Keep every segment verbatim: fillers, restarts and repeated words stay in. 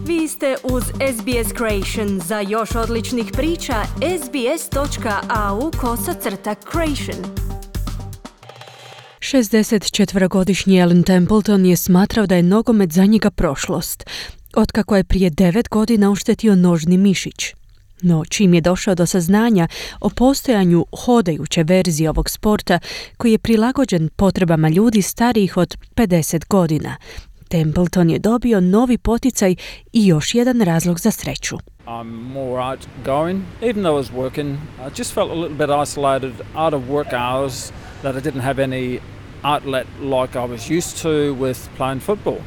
Vi ste uz S B S Creation. Za još odličnih priča, sbs.au kosacrta creation. šezdesetčetvorogodišnji Alan Templeton je smatrao da je nogomet za njega prošlost, otkako je prije devet godina oštetio nožni mišić. No, čim je došao do saznanja o postojanju hodajuće verzije ovog sporta koji je prilagođen potrebama ljudi starijih od pedeset godina, Templeton je dobio novi poticaj i još jedan razlog za sreću. I'm more outgoing. Even though I was working, I just felt a little bit isolated out of work hours, that I didn't have any outlet like I was used to with playing football.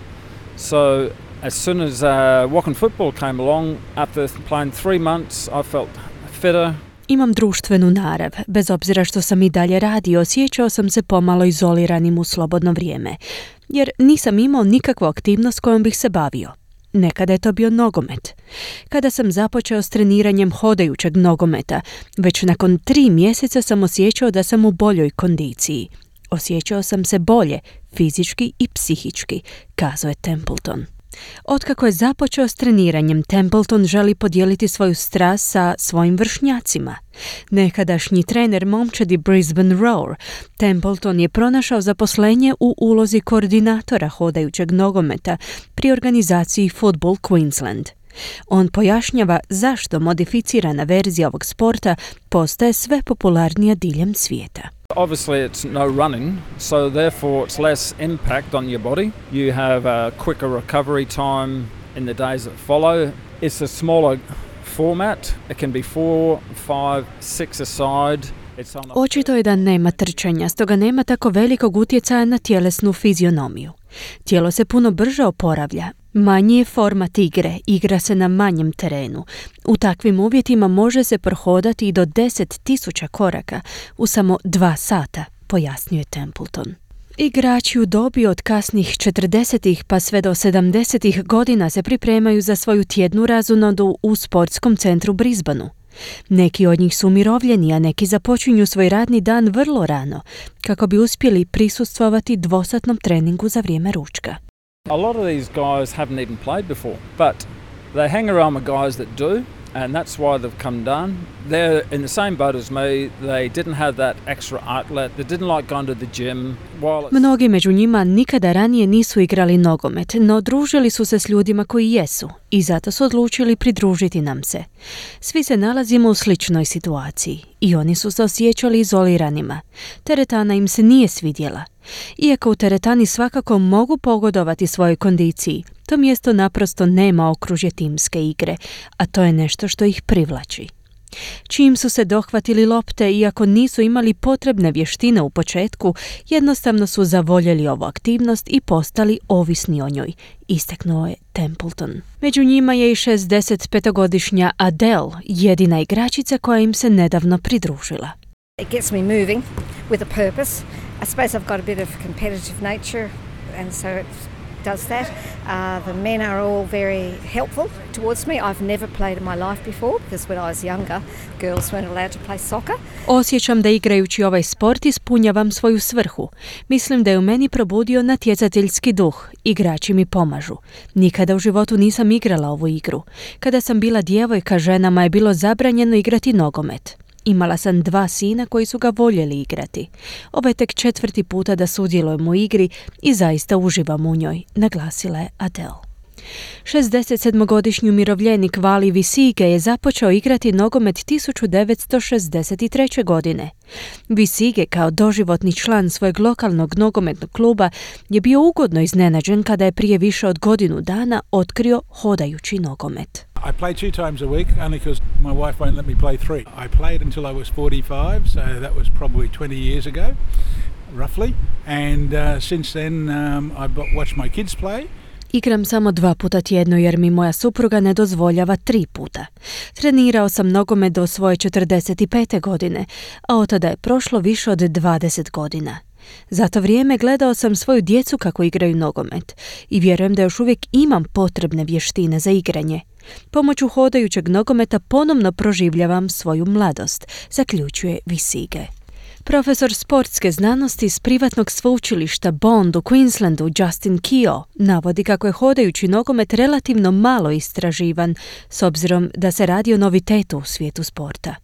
So as soon as uh, walking football came along, after playing three months, I felt fitter. Imam društvenu narav. Bez obzira što sam i dalje radio, osjećao sam se pomalo izoliranim u slobodno vrijeme, jer nisam imao nikakvu aktivnost kojom bih se bavio. Nekada je to bio nogomet. Kada sam započeo s treniranjem hodajućeg nogometa, već nakon tri mjeseca sam osjećao da sam u boljoj kondiciji. Osjećao sam se bolje, fizički i psihički, kazao je Templeton. Otkako je započeo s treniranjem, Templeton želi podijeliti svoju strast sa svojim vršnjacima. Nekadašnji trener momčadi Brisbane Roar, Templeton je pronašao zaposlenje u ulozi koordinatora hodajućeg nogometa pri organizaciji Football Queensland. On pojašnjava zašto modificirana verzija ovog sporta postaje sve popularnija diljem svijeta. Obviously it's no running, so therefore it's less impact on your body. You have a quicker recovery time in the days that follow. It's a smaller format. It can be four, five, six a side. Očito je da nema trčanja, stoga nema tako velikog utjecaja na tjelesnu fizionomiju. Tijelo se puno brže oporavlja. Manji je format igre, igra se na manjem terenu. U takvim uvjetima može se prohodati i do deset tisuća koraka u samo dva sata, pojasnio je Templeton. Igrači u dobi od kasnih četrdesetih pa sve do sedamdesetih godina se pripremaju za svoju tjednu razonodu u sportskom centru Brisbaneu. Neki od njih su umirovljeni, a neki započinju svoj radni dan vrlo rano, kako bi uspjeli prisustvovati dvosatnom treningu za vrijeme ručka. A lot of these guys haven't even played before, but they hang around with guys that do, and that's why they've come done. They're in the same boat as me. They didn't have that extra outlet. They didn't like going to the gym. While Mnogi među njima nikada ranije nisu igrali nogomet, no družili su se s ljudima koji jesu i zato su odlučili pridružiti nam se. Svi se nalazimo u sličnoj situaciji i oni su se osjećali izoliranima. Teretana im se nije svidjela. Iako u teretani svakako mogu pogodovati svojoj kondiciji, to mjesto naprosto nema okružje timske igre, a to je nešto što ih privlači. Čim su se dohvatili lopte, iako nisu imali potrebne vještine u početku, jednostavno su zavoljeli ovu aktivnost i postali ovisni o njoj, istaknuo je Templeton. Među njima je i šezdesetpetogodišnja Adele, jedina igračica koja im se nedavno pridružila. It gets me moving with a purpose. I suppose I've got a bit of competitive nature, and so it does that. Uh, the men are all very helpful towards me. I've never played in my life before because when I was younger, girls weren't allowed to play soccer. Osjećam da igrajući ovaj sport ispunjavam svoju svrhu. Mislim da je u meni probudio natjecateljski duh. Igrači mi pomažu. Nikada u životu nisam igrala ovu igru. Kada sam bila djevojka, ženama je bilo zabranjeno igrati nogomet. Imala sam dva sina koji su ga voljeli igrati. Ovo je tek četvrti puta da sudjelujem u igri i zaista uživam u njoj, naglasila je Adele. šezdesetsedmogodišnji umirovljenik Vali Visige je započeo igrati nogomet tisuću devetsto šezdeset treće. godine. Visige kao doživotni član svojeg lokalnog nogometnog kluba je bio ugodno iznenađen kada je prije više od godinu dana otkrio hodajući nogomet. I play two times a week only because my wife won't let me play three. I played until I was forty-five, so that was probably twenty years ago, roughly. And uh, since then um, I watched my kids play. Igram samo dva puta tjedno jer mi moja supruga ne dozvoljava tri puta. Trenirao sam nogomet do svoje četrdeset pete. godine, a od tada je prošlo više od dvadeset godina. Za to vrijeme gledao sam svoju djecu kako igraju nogomet i vjerujem da još uvijek imam potrebne vještine za igranje. Pomoću hodajućeg nogometa ponovno proživljavam svoju mladost, zaključuje Visige. Profesor sportske znanosti s privatnog sveučilišta Bond u Queenslandu Justin Keogh navodi kako je hodajući nogomet relativno malo istraživan, s obzirom da se radi o novitetu u svijetu sporta.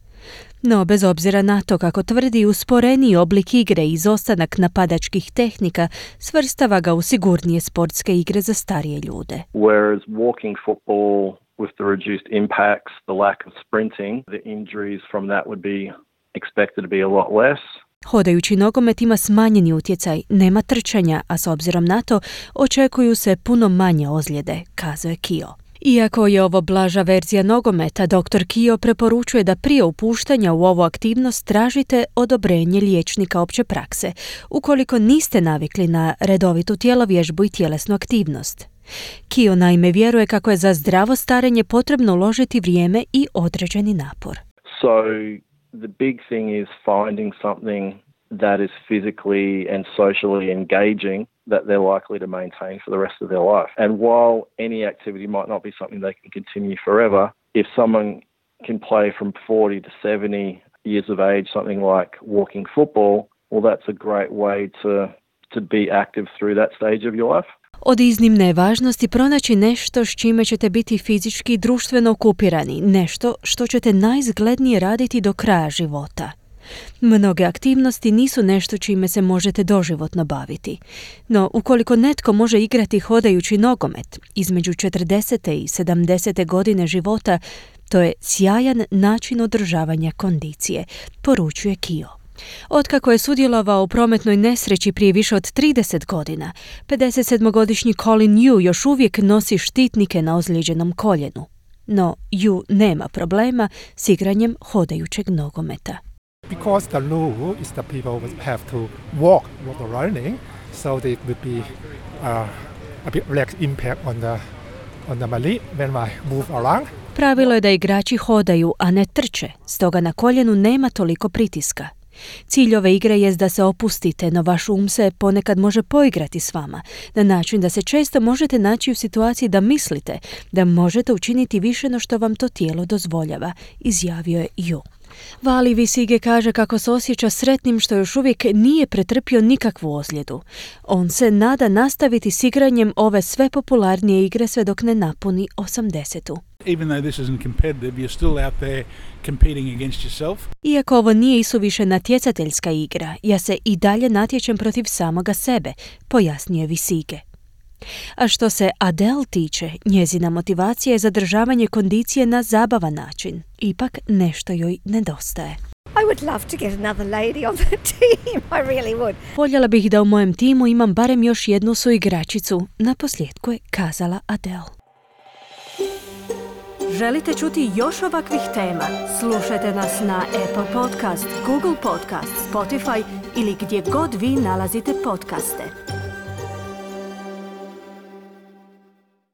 No, bez obzira na to, kako tvrdi, usporeniji oblik igre i izostanak napadačkih tehnika svrstava ga u sigurnije sportske igre za starije ljude. Whereas walking football with the reduced impacts, the lack of sprinting, the injuries from that would be expected to be a lot less. Hodajući nogomet ima smanjeni utjecaj, nema trčanja, a s obzirom na to očekuju se puno manje ozljede, kazuje Keogh. Iako je ovo blaža verzija nogometa, doktor Keogh preporučuje da prije upuštanja u ovu aktivnost tražite odobrenje liječnika opće prakse, ukoliko niste navikli na redovitu tjelovježbu i tjelesnu aktivnost. Keogh naime vjeruje kako je za zdravo starenje potrebno uložiti vrijeme i određeni napor. So the big thing is finding something that is physically and socially engaging that they're likely to maintain for the rest of their life. And while any activity might not be something they can continue forever, if someone can play from forty to seventy years of age, something like walking football, well, that's a great way to to be active through that stage of your life. Od iznimne je važnosti pronaći nešto s čime ćete biti fizički i društveno okupirani, nešto što ćete najizglednije raditi do kraja života. Mnoge aktivnosti nisu nešto čime se možete doživotno baviti, no ukoliko netko može igrati hodajući nogomet između četrdesete i sedamdesete godine života, to je sjajan način održavanja kondicije, poručuje Keogh. Otkako je sudjelovao u prometnoj nesreći prije više od trideset godina, pedesetsedmogodišnji Colin Yu još uvijek nosi štitnike na ozlijeđenom koljenu. No, Yu nema problema s igranjem hodajućeg nogometa. Because the rule is that people would have to walk while running, so there would be uh, a bit less impact on the on the my leg when I move around. Pravilo je da igrači hodaju, a ne trče, stoga na koljenu nema toliko pritiska. Cilj ove igre jest da se opustite, no vaš um se ponekad može poigrati s vama, na način da se često možete naći u situaciji da mislite da možete učiniti više no što vam to tijelo dozvoljava, izjavio je Yu. Vali Visige kaže kako se osjeća sretnim što još uvijek nije pretrpio nikakvu ozljedu. On se nada nastaviti s igranjem ove sve popularnije igre sve dok ne napuni osamdesetu. Even though this isn't competitive, you're still out there competing against yourself. Iako ovo nije isuviše natjecateljska igra, ja se i dalje natječem protiv samoga sebe, pojasnio je Visige. A što se Adele tiče, njezina motivacija je zadržavanje kondicije na zabavan način. Ipak nešto joj nedostaje. I would love to get another lady on the team, I really would. Voljela bih da u mojem timu imam barem još jednu suigračicu, naposljetku je kazala Adele. Želite čuti još ovakvih tema? Slušajte nas na Apple Podcast, Google Podcast, Spotify ili gdje god vi nalazite podcaste.